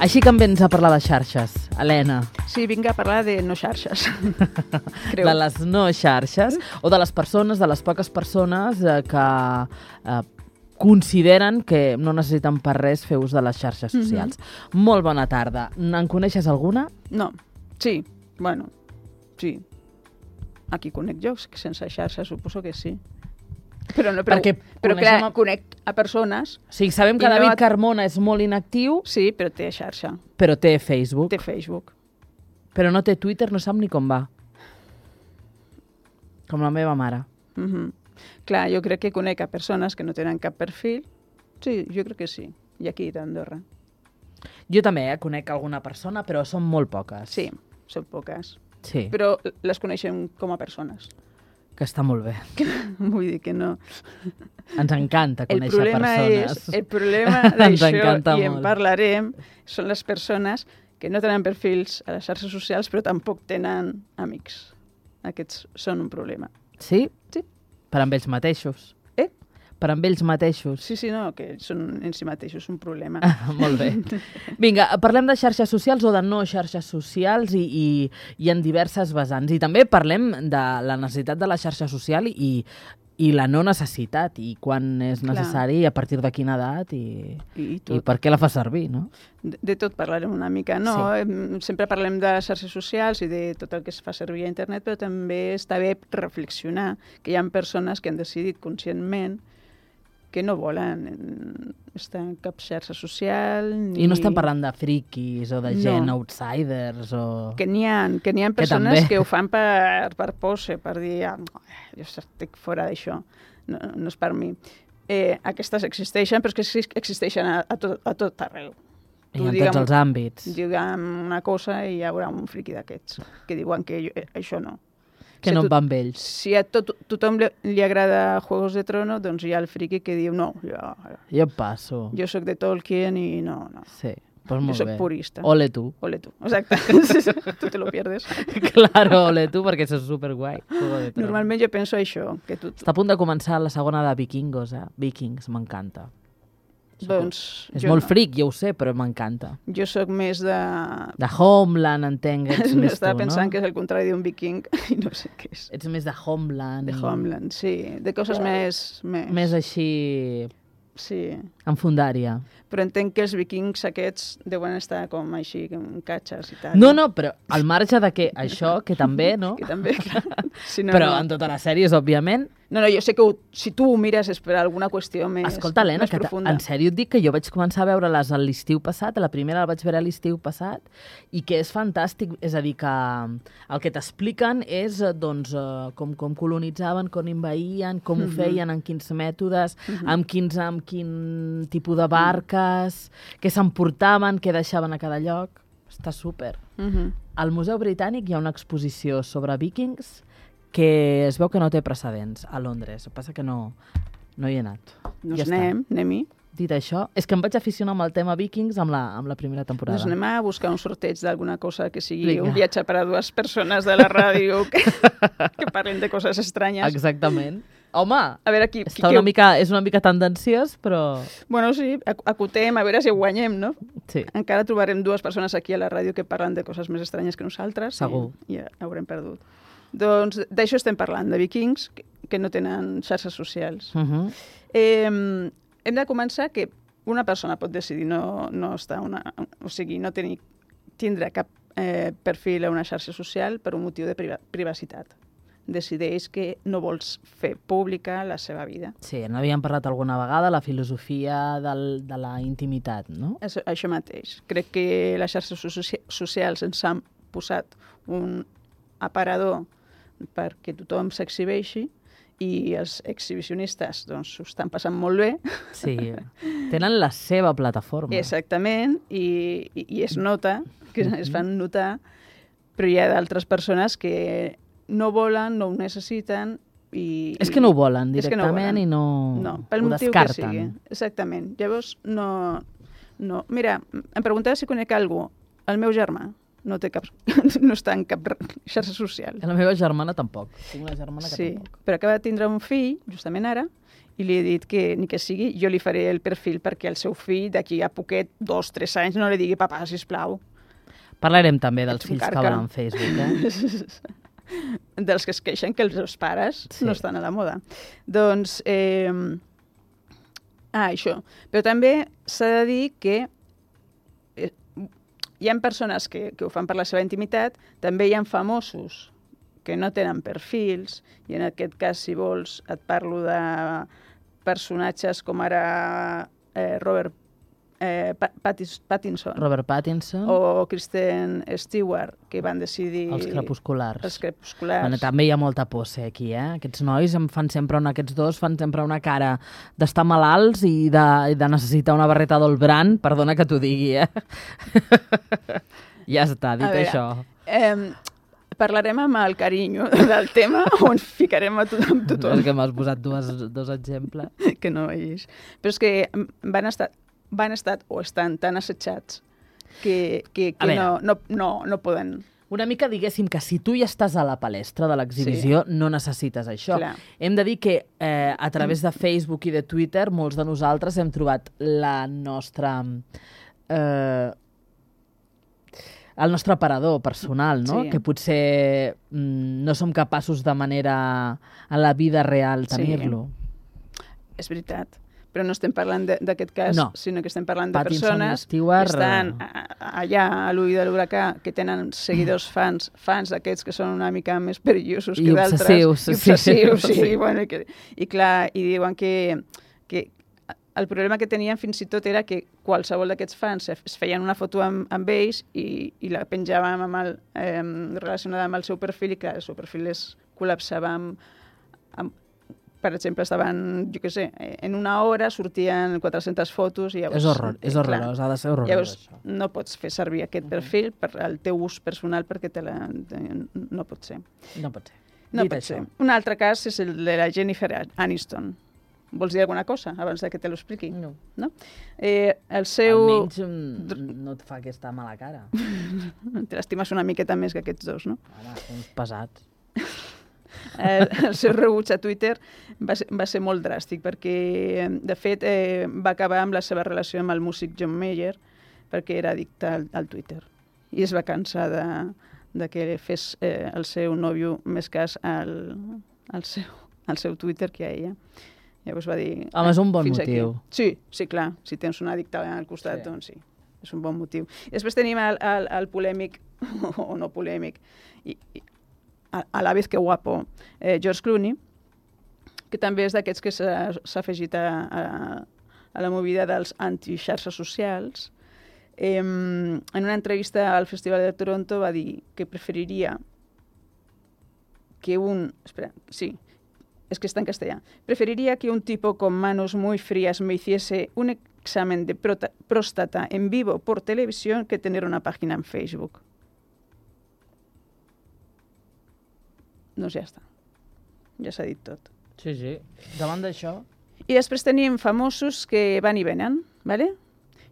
Així que em vens a parlar de xarxes, Helena. Sí, vinc a parlar de no xarxes. De les no xarxes, o de les persones, de les poques persones que consideren que no necessiten per res fer ús de les xarxes socials. Molt bona tarda. En coneixes alguna? No, sí, bueno, sí. Aquí conec jo, que sense xarxes suposo que sí. Però clar, conec a persones... Sí, sabem que David Carmona és molt inactiu. Sí, però té xarxa. Però té Facebook. Té Facebook. Però no té Twitter, no sap ni com va. Com la meva mare. Clar, jo crec que conec a persones que no tenen cap perfil. Sí, jo crec que sí. I aquí d'Andorra. Jo també conec alguna persona, però són molt poques. Sí, són poques. Sí. Però les coneixem com a persones. Que està molt bé. Vull dir que no... Ens encanta conèixer persones. El problema d'això, i en parlarem, són les persones que no tenen perfils a les xarxes socials però tampoc tenen amics. Aquests són un problema. Sí? Sí. Per amb ells mateixos. Per amb ells mateixos. Sí, no, que són en si mateixos un problema. Molt bé. Vinga, parlem de xarxes socials o de no xarxes socials i en diverses vessants. I també parlem de la necessitat de la xarxa social i la no necessitat, i quan és necessari, a partir de quina edat i per què la fa servir, no? De tot parlarem una mica, no? Sí. Sempre parlem de xarxes socials i de tot el que es fa servir a internet, però també està bé reflexionar que hi ha persones que han decidit conscientment que no volen estar en cap xarxa social. I no estem parlant de friquis o de gent outsiders o... Que n'hi ha persones que ho fan per pose, per dir, jo estic fora d'això, no és per mi. Aquestes existeixen, però és que existeixen a tot arreu. I en tots els àmbits. Digue'm una cosa i hi haurà un friqui d'aquests que diuen que això no. Que no va amb ells. Si a tothom li agrada Juegos de Trono, doncs hi ha el friqui que diu no, jo passo. Jo soc de Tolkien i no. Sí, pues molt bé. Jo soc purista. Ole tu. Ole tu, exacte. Tu te lo pierdes. Claro, ole tu, perquè això és superguai. Normalment jo penso això. Està a punt de començar la segona de Vikingos, Vikings, m'encanta. Doncs... És molt fric, ja ho sé, però m'encanta. Jo sóc més de... De Homeland, entenc. Estava pensant que és el contrari d'un viking i no sé què és. Ets més de Homeland. De Homeland, sí. De coses més... Més així... Sí. En fundària. Però entenc que els vikings aquests deuen estar com així, com catxes i tal. No, però al marge de que això, que també, no? Que també, clar. Si no, però en totes les sèries, òbviament... No, jo sé que si tu ho mires és per alguna qüestió més profunda. Escolta, Helena, que en sèrio et dic que jo vaig començar a veure-les l'estiu passat, la primera la vaig veure l'estiu passat, i que és fantàstic. És a dir, que el que t'expliquen és doncs, com colonitzaven, com envaïen, com ho feien, en quins mètodes, amb quin tipus de barques, què s'emportaven, què deixaven a cada lloc. Està súper. Al Museu Britànic hi ha una exposició sobre vikings que es veu que no té precedents a Londres. El que passa que no hi he anat. Doncs anem-hi. Dit això, és que em vaig aficionar amb el tema vikings amb la primera temporada. Doncs anem a buscar un sorteig d'alguna cosa que sigui un viatge per a dues persones de la ràdio que parlen de coses estranyes. Exactament. Home, a veure, és una mica tendenciós, però... Bueno, sí, acotem, a veure si guanyem, no? Sí. Encara trobarem dues persones aquí a la ràdio que parlen de coses més estranyes que nosaltres. Segur. I ja haurem perdut. Doncs d'això estem parlant, de vikings que no tenen xarxes socials. Hem de començar que una persona pot decidir no estar no tindre cap perfil a una xarxa social per un motiu de privacitat. Decideix que no vols fer pública la seva vida. Sí, n'havíem parlat alguna vegada, la filosofia de la intimitat, no? Això mateix. Crec que les xarxes socials ens han posat un aparador perquè tothom s'exhibeixi i els exhibicionistes doncs ho estan passant molt bé. Sí, tenen la seva plataforma. Exactament, i es nota, que es fan notar, però hi ha d'altres persones que no volen, no ho necessiten i... És que no ho volen directament i no pel ho motiu descarten. que sigui. Exactament. Llavors, no... Mira, em preguntava si conec algú. El meu germà no està en cap xarxa social. La meva germana tampoc. Tinc una germana que sí, tampoc. Però acaba de tindre un fill, justament ara, i li he dit que ni que sigui, jo li faré el perfil perquè el seu fill d'aquí a poquet, 2-3 anys, no li digui papà, sisplau. Parlarem també dels fills que volen Facebook, dels que es queixen que els seus pares no estan a la moda. Doncs, això. Però també s'ha de dir que hi ha persones que ho fan per la seva intimitat, també hi ha famosos que no tenen perfils, i en aquest cas, si vols, et parlo de personatges com ara Robert Pattinson o Kristen Stewart, que van decidir... Els crepusculars. Els crepusculars. Bueno, també hi ha molta posse aquí, Aquests nois aquests dos fan sempre una cara d'estar malalts i de necessitar una barreta d'Olbran, perdona que t'ho digui, Ja està, dit això. Parlarem amb el carinyo del tema o ens ficarem amb tothom. És que m'has posat dos exemples. Que no vegis. Però és que van estar o estan tan assetjats que no poden... Una mica diguéssim que si tu ja estàs a la palestra de l'exhibició no necessites això. Clar. Hem de dir que a través de Facebook i de Twitter molts de nosaltres hem trobat la nostra... el nostre aparador personal, no? Sí. Que potser no som capaços de manera a la vida real tenir-lo. És veritat, però no estem parlant d'aquest cas, sinó que estem parlant de Pattinson persones Stewart, que estan allà a l'ull de l'huracà, que tenen seguidors fans d'aquests que són una mica més perillosos que d'altres. I obsessius. Sí. Bueno, i clar, i diuen que el problema que tenien fins i tot era que qualsevol d'aquests fans es feien una foto amb ells i la penjaven relacionada amb el seu perfil i clar, el seu perfil es col·lapsava per exemple, estaven, jo què sé, en una hora sortien 400 fotos i llavors... És horrorós, ha de ser horrorós. Llavors no pots fer servir aquest perfil per al teu ús personal perquè no pot ser. No pot ser. No pot ser. Un altre cas és el de la Jennifer Aniston. Vols dir alguna cosa abans que te l'expliqui? No. El seu... Almenys no et fa aquesta mala cara. Te l'estimes una miqueta més que aquests dos, no? Home, uns pesats. El seu rebuig a Twitter va ser molt dràstic perquè, de fet, va acabar amb la seva relació amb el músic John Mayer perquè era addicte al Twitter i es va cansar de que fes el seu nòvio més cas al seu Twitter que a ella. Llavors va dir... Home, és un bon motiu. Sí, clar. Si tens un addicte al costat, doncs sí. És un bon motiu. I després tenim el polèmic, o no polèmic, a la vez que guapo, George Clooney, que també és d'aquests que s'ha afegit a la movida dels anti-xarxes socials. En una entrevista al Festival de Toronto va dir que preferiria que es que está en castellano. Preferiría que un tipo con manos muy frías me hiciese un examen de próstata en vivo por televisión que tener una página en Facebook. Doncs ja està. Ja s'ha dit tot. Sí. Davant d'això... I després tenim famosos que van i venen, ¿vale?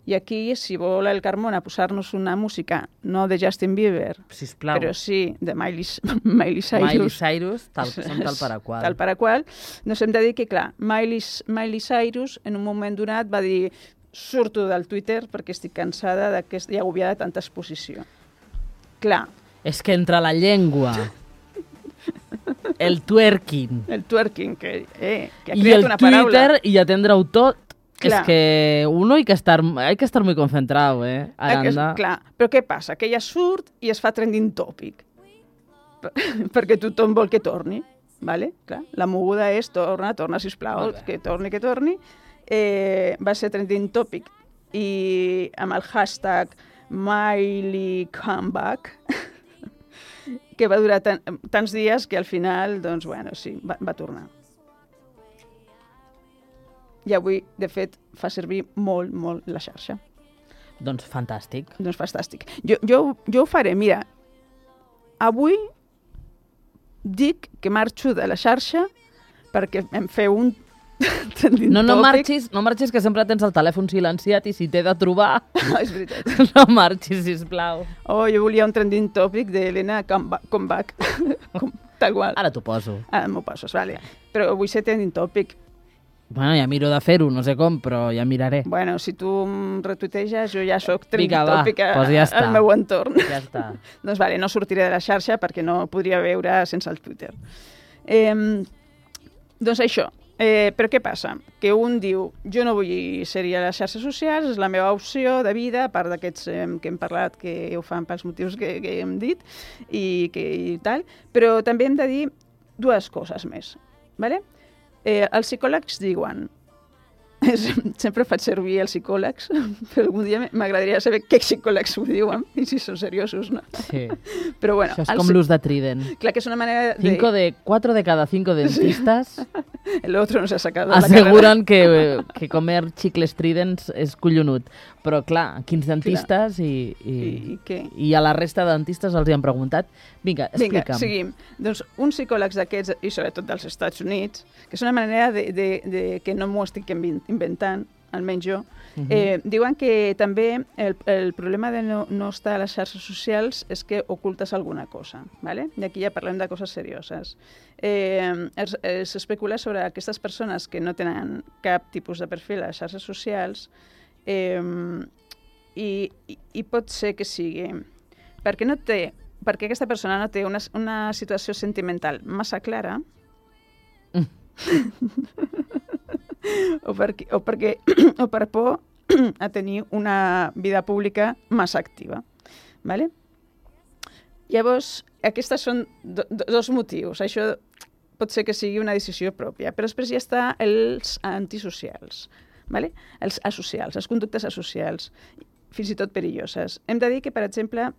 I aquí, si vol el Carmona posar-nos una música, no de Justin Bieber, sisplau, però sí de Miley Cyrus. Miley Cyrus, tal per a qual. Tal per a qual. Doncs hem de dir que, clar, Miley Cyrus en un moment donat va dir surto del Twitter perquè estic cansada i agobiada de tanta exposició. Clar. És que entre la llengua, el twerking, que ha creat una paraula. I el Twitter i atendre-ho tot, claro. Es que uno hay que estar muy concentrado, Aranda. Clar, però què passa? Que ella surt i es fa trending topic. Perquè tothom vol que torni, ¿vale? Clar, la moguda és torna, sisplau, que torni. Va ser trending topic i amb el hashtag Miley Comeback, que va durar tants dies que al final, doncs, bueno, sí, va tornar. I avui, de fet, fa servir molt, molt la xarxa. Doncs fantàstic. Jo ho faré, mira, avui dic que marxo de la xarxa perquè em feu un trending topic. No marxis, que sempre tens el telèfon silenciat i si t'he de trobar... No, és veritat. No marxis, sisplau. Jo volia un trending topic d'Helena Comeback. Tal qual. Ara t'ho poso. Ara m'ho poses, vale. Però vull ser trending topic. Bueno, ja miro de fer-ho, no sé com, però ja miraré. Bueno, si tu em retuiteges, jo ja soc Vinga, va, trendtòpica doncs ja està. al meu entorn. Ja està. Doncs vale, no sortiré de la xarxa perquè no podria veure sense el Twitter. Doncs això. Però què passa? Que un diu, jo no vull ser-hi a les xarxes socials, és la meva opció de vida, a part d'aquests que hem parlat, que ho fan pels motius que hem dit, i tal, però també hem de dir dues coses més. Vale? Els psicòlegs diuen, sempre faig servir els psicòlegs, però algun dia m'agradaria saber què psicòlegs ho diuen, i si són seriosos, no? Sí. Però bueno, això és com l'ús de Trident. Clar que és una manera de... 4 de cada 5 dentistas el otro no se ha sacado la aseguren que comer xicles Tridents és collonut. Però clar, quins dentistes i a la resta de dentistes els hi han preguntat. Vinga, explica'm. Vinga, seguim. Doncs uns psicòlegs d'aquests, i sobretot dels Estats Units, que és una manera que no m'ho estic inventant, almenys jo, diuen que també el problema de no estar a les xarxes socials és que ocultes alguna cosa, ¿vale? I aquí ja parlem de coses serioses. S'especula sobre aquestes persones que no tenen cap tipus de perfil a les xarxes socials i pot ser que sigui perquè aquesta persona no té una situació sentimental massa clara o per por a tenir una vida pública massa activa. ¿Vale? Llavors, aquests són dos motius. Això pot ser que sigui una decisió pròpia, però després ja està els antisocials, ¿vale? Els asocials, les conductes asocials, fins i tot perilloses. Hem de dir que, per exemple,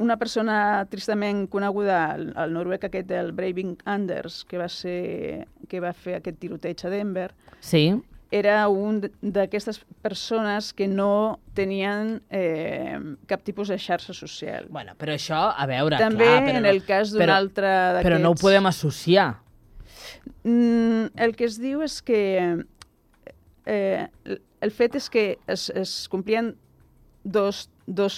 una persona tristament coneguda, el noruec aquest del Breivik Anders, que va fer aquest tiroteig a Denver, sí, era un d'aquestes persones que no tenien cap tipus de xarxa social. Bueno, però això, a veure, també clar... També en el cas d'un altre d'aquests... Però no ho podem associar. El que es diu és que el fet és que es complien dos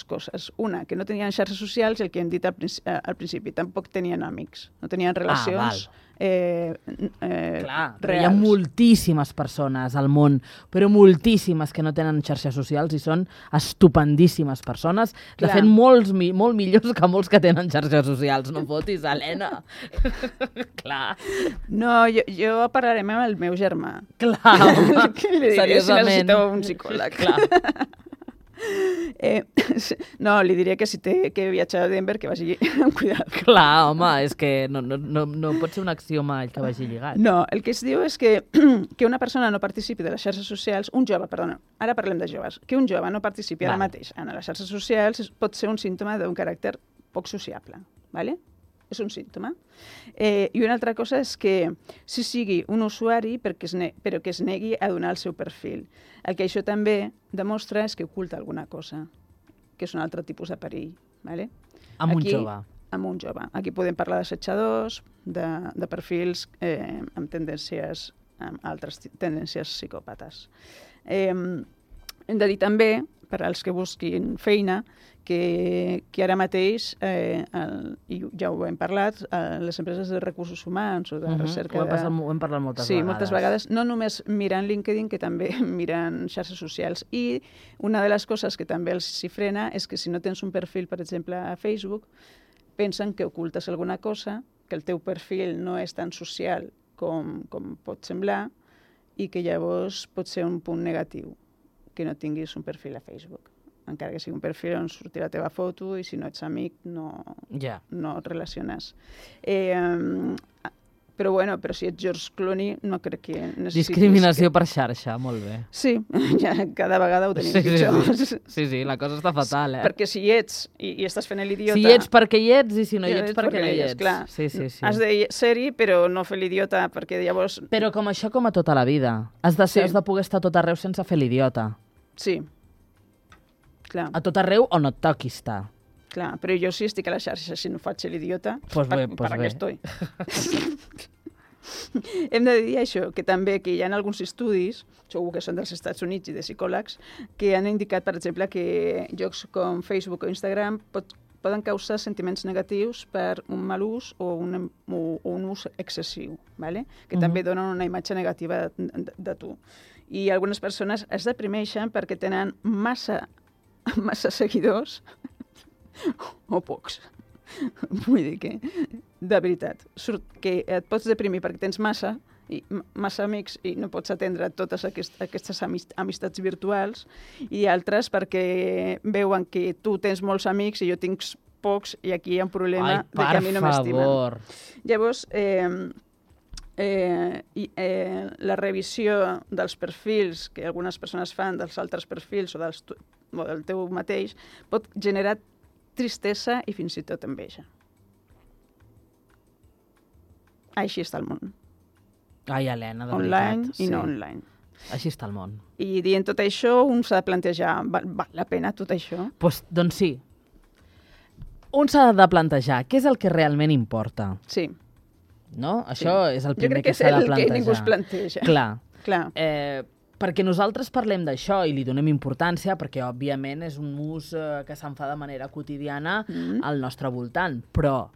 coses. Una, que no tenien xarxes socials, i el que hem dit al principi, tampoc tenien amics, no tenien relacions clar, reals. Hi ha moltíssimes persones al món, però moltíssimes que no tenen xarxes socials i són estupendíssimes persones. De fet, molt millors que molts que tenen xarxes socials. No fotis, Helena. Clar. No, jo parlaré amb el meu germà. Clar, home, seriosament. Si necessita un psicòleg. Clar. No, li diré que si té que viatjar a Denver que vagi amb cuidat. Clar, home, és que no pot ser un axioma que vagi lligat. No, el que es diu és que una persona no participi de les xarxes socials, un jove, perdona, ara parlem de joves, que un jove no participi ara mateix en les xarxes socials pot ser un símptoma d'un caràcter poc sociable, ¿vale? És un símptoma. I una altra cosa és que si sigui un usuari però que es negui a donar el seu perfil. El que això també demostra és que oculta alguna cosa, que és un altre tipus de perill. ¿Vale? Amb un jove. Amb un jove. Aquí podem parlar d'assetjadors, de perfils amb altres tendències psicòpates. Hem de dir també, per als que busquin feina, que ara mateix, i ja ho hem parlat, les empreses de recursos humans o de recerca... Ho hem parlat moltes vegades. Sí, moltes vegades. No només miren LinkedIn, que també miren xarxes socials. I una de les coses que també els s'hi frena és que si no tens un perfil, per exemple, a Facebook, pensen que ocultes alguna cosa, que el teu perfil no és tan social com pot semblar i que llavors pot ser un punt negatiu que no tinguis un perfil a Facebook. Encara que sigui un perfil on surti la teva foto i si no ets amic no et relaciones. Però si ets George Clooney no crec que necessitis... Discriminació per xarxa, molt bé. Sí, cada vegada ho tenim pitjor. Sí, la cosa està fatal, Perquè si hi ets i estàs fent l'idiota... Si hi ets perquè hi ets i si no hi ets perquè no hi ets. Clar, sí. Has de ser-hi però no fer l'idiota perquè llavors... Però com això com a tota la vida. Has de poder estar a tot arreu sense fer l'idiota. Sí. Clar. A tot arreu on et toqui estar. Clar, però jo sí estic a la xarxa, si no faig l'idiota, per què estoy? Hem de dir això, que també que hi ha alguns estudis, segur que són dels Estats Units i de psicòlegs, que han indicat, per exemple, que jocs com Facebook o Instagram poden causar sentiments negatius per un mal ús o un ús excessiu, ¿vale? Que també donen una imatge negativa de tu. I algunes persones es deprimeixen perquè tenen massa seguidors o pocs. Vull dir que, de veritat, que et pots deprimir perquè tens massa amics i no pots atendre totes aquestes amistats virtuals, i altres perquè veuen que tu tens molts amics i jo tinc pocs i aquí hi ha un problema de que a mi no m'estimen. Llavors, la revisió dels perfils que algunes persones fan dels altres perfils o del teu mateix pot generar tristesa i fins i tot enveja. Així està el món. Ai, Helena, de online veritat. I no online. Així està el món. I dient tot això, un s'ha de plantejar, val la pena tot això? Doncs sí. Un s'ha de plantejar què és el que realment importa. Sí. No? Això és el primer que s'ha de plantejar. Jo crec que és el que ningú es planteja. Clar. Perquè nosaltres parlem d'això i li donem importància perquè, òbviament, és un ús que se'n fa de manera quotidiana al nostre voltant. Però,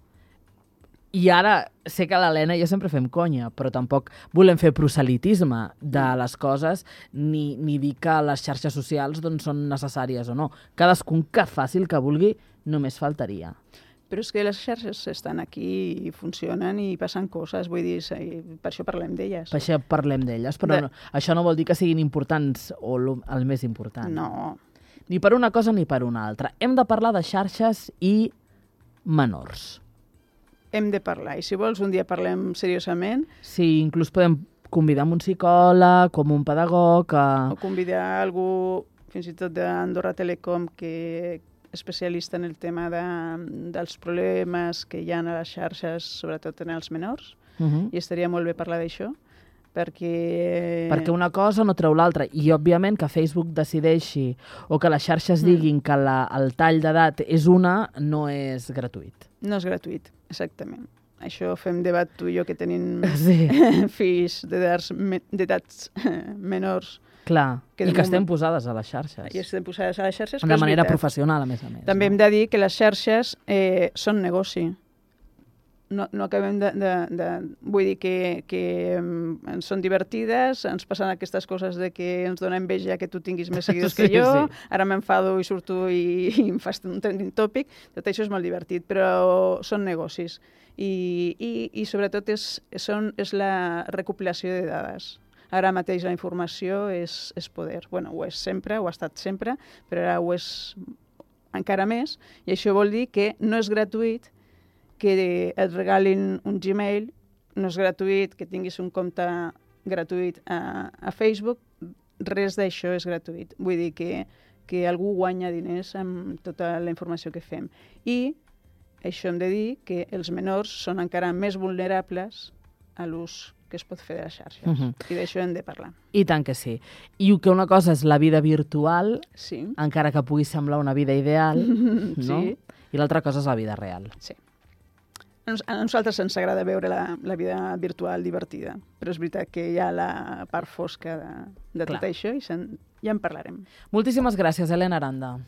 i ara sé que l'Helena i jo sempre fem conya, però tampoc volem fer proselitisme de les coses ni dir que les xarxes socials són necessàries o no. Cadascun que faci el que vulgui, només faltaria. Però és que les xarxes estan aquí i funcionen i passen coses, vull dir, per això parlem d'elles. Per això parlem d'elles, però això no vol dir que siguin importants o el més important. No. Ni per una cosa ni per una altra. Hem de parlar de xarxes i menors. Hem de parlar, i si vols un dia parlem seriosament. Sí, inclús podem convidar un psicòleg, com un pedagog... O convidar algú, fins i tot d'Andorra Telecom, que especialista en el tema dels problemes que hi ha a les xarxes, sobretot en els menors, i estaria molt bé parlar d'això, perquè una cosa no treu l'altra, i òbviament que Facebook decideixi o que les xarxes diguin que el tall d'edat és una, no és gratuït. No és gratuït, exactament. Això fem debat tu i jo, que tenim fills d'edats menors. Clar, i que estem posades a les xarxes. I estem posades a les xarxes. De manera professional, a més a més. També hem de dir que les xarxes són negoci. No acabem vull dir que són divertides, ens passen aquestes coses de que ens dona enveja que tu tinguis més seguidors que jo, ara m'enfado i surto i em fas un trending topic, tot això és molt divertit, però són negocis. I sobretot és la recopilació de dades. Ara mateix la informació és poder. Bueno, ho és sempre, ho ha estat sempre, però ara ho és encara més, i això vol dir que no és gratuït que et regalin un Gmail, no és gratuït que tinguis un compte gratuït a Facebook, res d'això és gratuït. Vull dir que algú guanya diners amb tota la informació que fem. I això hem de dir que els menors són encara més vulnerables a l'ús que es pot fer de les xarxes. I d'això hem de parlar. I tant que sí. I que una cosa és la vida virtual, encara que pugui semblar una vida ideal, no? I l'altra cosa és la vida real. Sí. A nosaltres ens agrada veure la vida virtual divertida, però és veritat que hi ha la part fosca de tot això i ja en parlarem. Moltíssimes gràcies, Helena Aranda.